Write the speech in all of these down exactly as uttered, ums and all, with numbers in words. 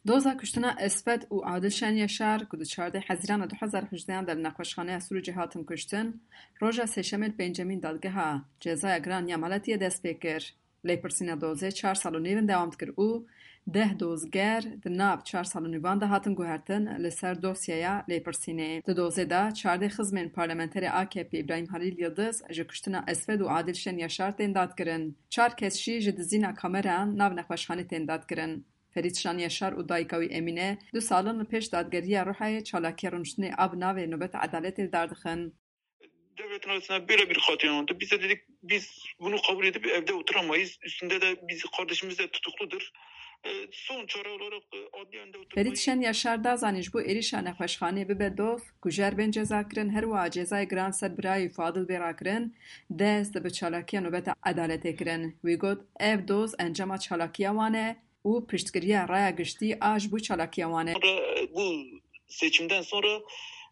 Doza kuştina Esfet û Adil Şenyaşar ku di çardeh Hezîrana du hezar û hejdehan de li nexweşxaneya Sûrûcê hatin kuştin, roja Sêşemê li pêncemîn dadgeha cezaya giran ya maletiyê dest pê kir. Lêpirsîna dozê çar sal û nîv in dewam dikir û deh dozger di nav çar sal û nîvan de hatin guhertin li ser dosyeya lêpirsînê. Di dozê de çardeh xizmên parlamenterê A K P Îbrahîm Halîl Yildiz ji kuştina Esfet û Adil Şenyaşar tên dadkirin. Çar kes jî ji dizîna kameran nav nexweşxanê tên dadkirin. Ferîd Şenyaşar û dayika wî Emîne du sal in li pêş dadgeriya Rihayê çalakiya rûniştinê a bi navê Nobeta Edaletê li dar dixin. Devletin arasında böyle bir katliam oldu. Biz de dedik, biz bunu kabul edip evde oturamayız. Üstünde de biz, kardeşimiz de tutukludur. E, son çare olarak e, adli önde oturmayı... Ferîd Şenyaşar da zanîn ji bo êrîşa nexweşxanê bibe doz, kujer bên ceza kirin, her wiha cezayê giran ser birayê Fadil bê rakirin, dest bi çalakiya Nobeta Edaletê kirin. Wî got, ev doz encama çalakiya wan e û piştgiriya raya giştî a ji bo çalakiya wan e. Sonra bu seçimden sonra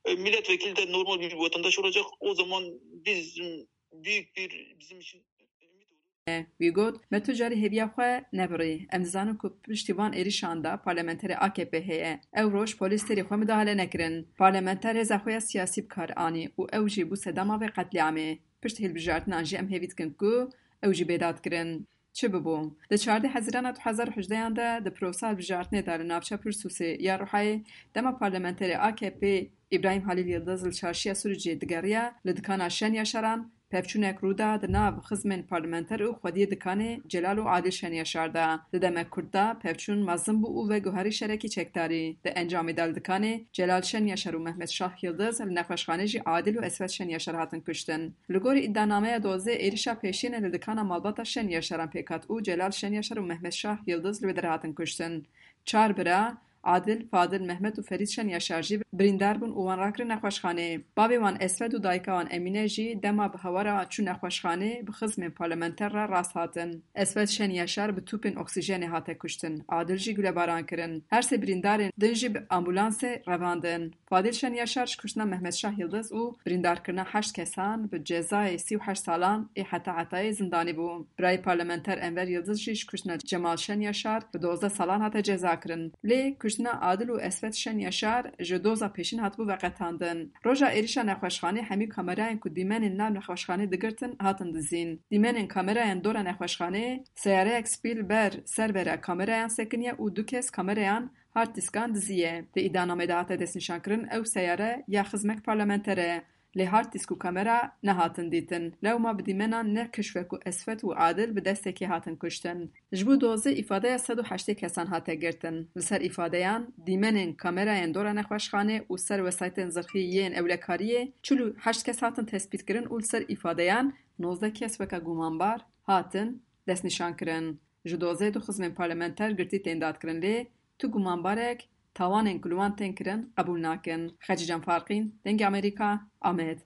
e, milletvekili de normal bir vatandaş olacak. O zaman bizim büyük bir bizim için ümit olur. Wî got, me tu carî hêviya xwe nebirî. Em dizanin ku piştî van êrîşan de parlamenterê A K P heye. Ew roj polîs têrê xwe midahale nekirin. Parlamenter hêza xwe ya siyasî bi kar anî û ew jî bû sedema vê qetlîamê. Pişt hilbijartinan jî em hêvî dikin ku ew jî bê dadkirin. Çi bibû? Di çardeh Hezîrana du hezar û hejdehan de di prosa hilbijartinê de li navça Pirsûsê ya Rihayê dema parlamenterê A K P Îbrahîm Halîl Yildiz li çarşiya Sûrûcê digeriya, li dikana Şenyaşaran pevçûnek rû da di nav xizmên parlamenter û xwediyê dikanê Celal û Adil Şenyaşar de. Di demek kurt de pevçûn mezin bû û veguherî şerekî çekdarî. Di encamê de li dikanê Celal Şenyaşar û Mehmet Şah Yildiz li nexweşxanê jî Adil û Esfet Şenyaşar hatin kuştin. Li gorî îdianameya dozê êrîşa pêşînê li dikana malbata Şenyaşaran pêk hat û Celal Şenyaşar û Mehmet Şah Yildiz li wê derê hatin kuştin. Çar bira, Adil, Fadil, Mehmet û Ferîd Şenyaşar jî birîndar bûn û wan rakirin nexweşxanê. Bavê wan Esfet û dayika wan Emîne jî dema bi hewara çû nexweşxanê bi xizmên parlamenter re rast hatin. Esfet Şenyaşar bi tûpên oksîjenê hate kuştin. Adil jî gulebaran kirin. Her sê birîndarên din jî bi ambulansê revandin. Fadil Şenyaşar ji kuştina Mehmet Şah Yildiz û birîndarkirina heşt kesan bi cezayê sî û heşt salan ê heta hetayê zindanî bû. Birayê parlamenter Enver Yildiz jî ji kuştina Cemal Şenyaşar bi dozdeh salan hate cezakirin. Lê kuştina Adil û Esfet Şenyaşar ji doza pêşîn hatibû veqetandin. Roja êrîşa nexweşxanê hemî kamerayên ku dîmenên nav nexweşxanê digirtin hatin dizîn. Dîmenên kamerayên dora nexweşxanê, seyareyek spî li ber ser vera kamerayan sekiniye û du kes kamerayan hard diskan diziye. Di îdianamê de hate destnîşankirin ew seyare ya xizmek parlamenter e, lê hard disk û kamera nehatin dîtin. Lewma bi dîmenan ne kişwek û Esfet û Adil bi destekê hatin kuştin. Ji bo dozê îfadeya sed û heştê kesan hate girtin. Li ser îfadeyan, dîmenên kamerayên dora nexweşxanê û ser wesaytên zirxî yên ewlekariyê çil û heşt kes hatin tespîtkirin û li ser îfadeyan nozdeh kes weke gumanbar hatin destnîşankirin. Ji dozê du xizmên parlamenter girtî tên dadkirin lê tu gumanbarek tawanên ku li wan tên kirin qebûl nakin. Xecîcan Farqîn, Dengê Amerîka, Amed.